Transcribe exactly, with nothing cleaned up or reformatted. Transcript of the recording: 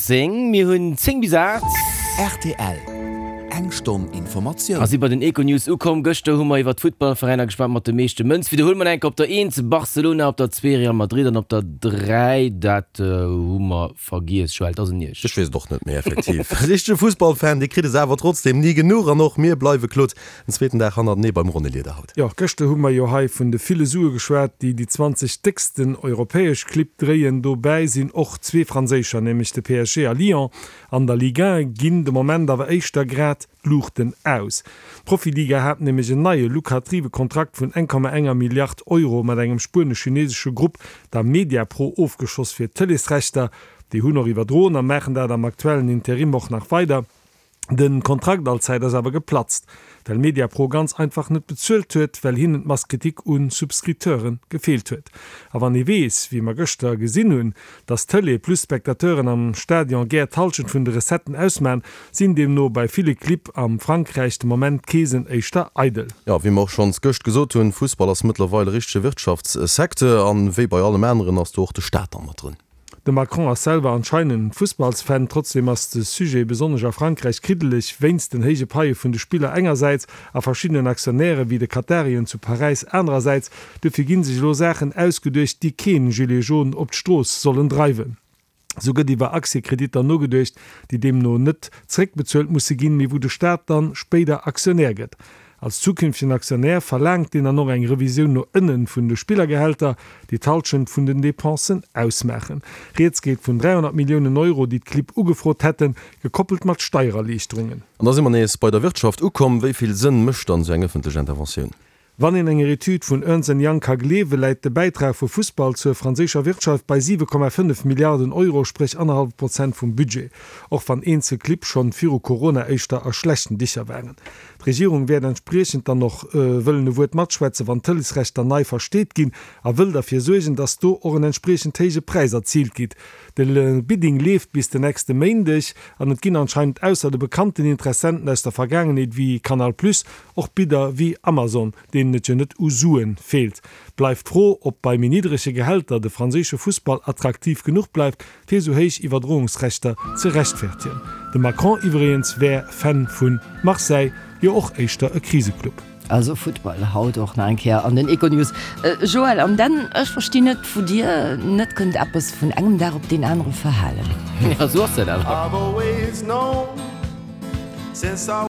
zéng. Mir hunn zéng bis aacht. Rtl, Eng Stonn Informatioun. A si bei den Econews ukomm. Gëschter hu mer iwwer d'Futtballveräiner geschwat mat de meeschte Mënz. Widderhuele mer enk, op der eent Barcelona, op der zwee Real Madrid an op der dräi, dat hu mer vergiess. Joël, et ass un Iech. Ech weess et och net méi, effektiv. Richtege Fussballfan, dee kritt es awer trotzdem ni genuch. An och mir bleiwe, Claude, den zweeten Dag hannertenee beim ronne Lieder haut. Jo, gëschter hu mer jo hei vun de ville Sue geschwat, déi déi zwanzeg décksten europäesch Clibb dréien. Dobäi sinn och zwee franséischer, nämlech de P S G a Lyon. An der Ligue un ginn de Moment awer éischter grad d'Luuchten aus. D'Profiliga hat nämlech en neie lukrative Kontrakt vun eng Komma enger Milliard Euro mat engem spuenesch-chinesesche Grupp, der Mediapro, ofgeschoss fir d'Tëleesrechter. Déi hunn och iwwerdroen a maachen dat am aktuellen Interim och nach weider. De Kontrakt allzäit ass awer geplatzt, well Mediapro ganz einfach net bezuelt huet, well hinnen d'Masse critique un Subscripteure gefeelt huet. A wann ee weess, wéi mer gëschter gesinn hunn, dass Tëlee plus Spectateuren am Stadion gär d'Hallschent vun de Recetten ausmaan, sinn deemno bei ville Clibb am Frankräich de Moment d'Keesen éischter eidel. Jo, wéi mer och schonns gëscht gesot hunn, Fussball ass mëttlerweil e richtege Wirtschaftssecteur an wéi bei allem aneren ass do och de Staat dann mat drun. De Macron ass selwer anscheinend Fussballsfan, trotzdeem ass de Sujet besonnesch a Frankräich kriddeleg, wéinst den héije Paie vun de Spiller engersäits a verschiddenen Aktionäre wéi de Katarien zu Paräis anerersäits. Dofir gi sech elo Saachen ausgeduecht, déi keen Gilet jaune op d'Strooss sollen dreiwen. Sou gëtt iwwer Aktiekreditter nogeduecht, déi deemno net zeréckbezuelt musse ginn, mee wou de Staat dann spéider Aktionär gëtt. Als zukünftegen Aktionär verlaangt deen dann och eng Revisioun no ënnen vun de Spillergehälter, déi d'Hallschent vun den Depensen ausmaachen. Rieds geet vun dräihonnert Milliounen Euro, déi d'Clibb ugefrot hätten, gekoppelt mat Steiererliichterungen. An da si mer nees bei der Wirtschaft ukomm. Wéi vill Sënn mécht dann esou eng ëffentlech Interventioun? Wann een enger Etüd vun Ernst and Young ka gleewen, läit de Bäitrag vu Fussball zur franséischer Wirtschaft bei siwe Komma fënnef Milliarden Euro, spréch annerhallef Prozent vum Budget, och wann eenzel Clibb schonn viru Corona éischter a schlechten Dicher waren. D'Regierung wäert entspriechend dann och wëllen e Wuert matschwätzen, wann d'Tëlesrechter nei versteet ginn a wëll derfir suergen, datt do och en entspriechend héije Präis erziilt gitt. De Bidding leeft bis den nächste Méindeg an et ginn anscheinend ausser de bekannten Interessenten aus der Vergaangenheet wéi Canal Plus och Bidder wéi Amazon, deenen et jo net u Suen feelt. Bleift d'Fro, ob bei méi niddrege Gehälter de franséische Fussball attraktiv genuch bleift, fir esou héich Iwwerdroungsrechter ze rechtfertigen. De Macron iwwregens wär Fan vu Marseille, jo och éischter e Kriseclub. Also Futtball haut och nach eng Kéier an den Econews. Joël, an dann, ech verstinn net, wou Dir net kënnt eppes vun engem Dag op deen anere verhalen. Ja, sou ass dat awer.